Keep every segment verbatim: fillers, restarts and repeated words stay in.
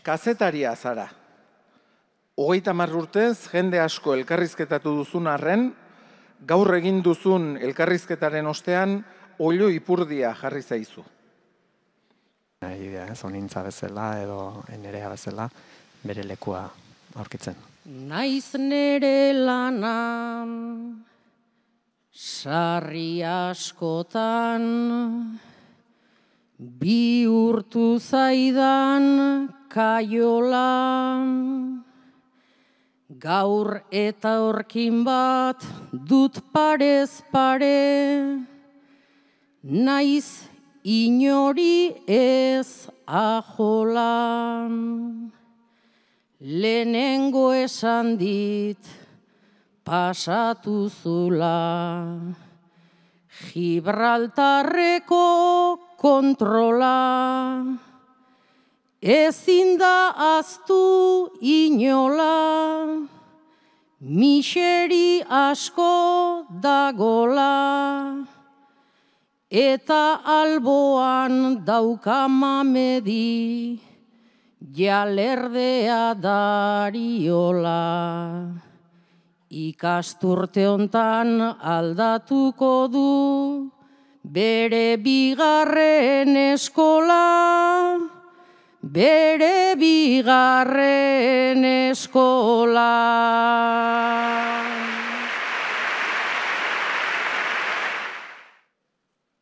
Kazetaria zara. Hogeita hamar urtez jende asko elkarrizketatu duzun arren, gaur egin duzun elkarrizketaren ostean, oilo ipurdia jarri zaizu. Idea, ez, onintza bezala edo nerea bezala bere lekua aurkitzen. Naiz nere lanan, sarri askotan, bihurtu zaidan kaiola. Gaur eta horkin bat dut parez pare, naiz inori ez ajola. Lehenengo esan dit pasatu zula, Gibraltarreko kontrola. Ezin da aztu inola, miseri asko dagola, eta alboan daukamamedi, jalerdea dariola. Ikasturte hontan aldatuko du, bere bigarren eskola, bere bigarren eskola.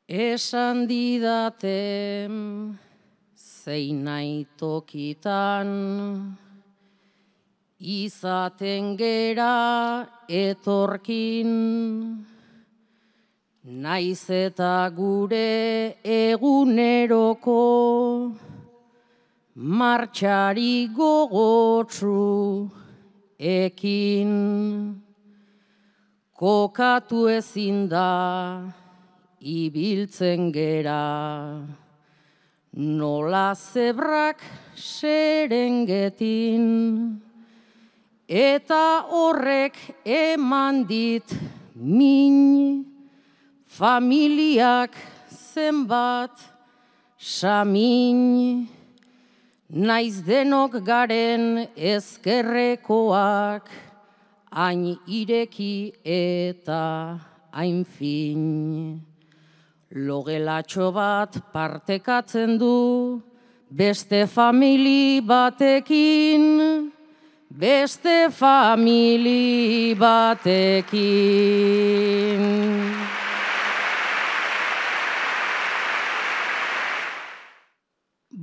Esan didaten zein nahi tokitan, izaten gera etorkin, naiz eta gure eguneroko martxari gogotsu ekin. Kokatu ezin da ibiltzen gera, nola zebrak Serengetin, eta horrek eman dit min, familiak zenbat samin. Naiz denok garen ezkerrekoak, hain ireki eta hain fin. Logelatxo bat partekatzen du, beste famili batekin, beste famili batekin.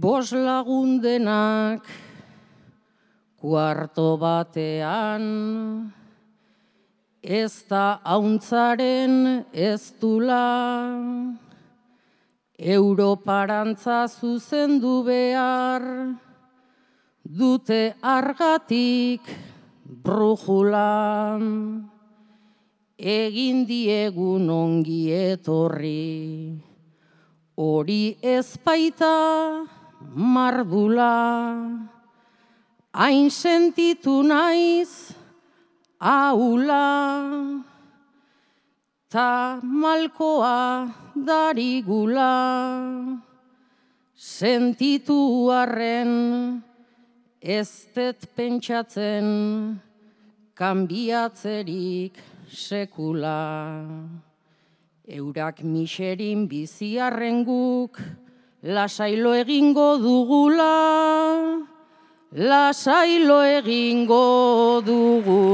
Bos lagundenak kuarto batean, ez da hauntzaren ez dula, Europarantza zuzendu behar, dute argatik brujula. Egin diegun ongi etorri, hori ez baita mardula. Hain sentitu naiz aula, ta malkoa darigula. Sentitu arren ez dut pentsatzen kanbiatzerik sekula. Eurak miserin biziarren guk lasailo egingo dugula, lasailo egingo dugula.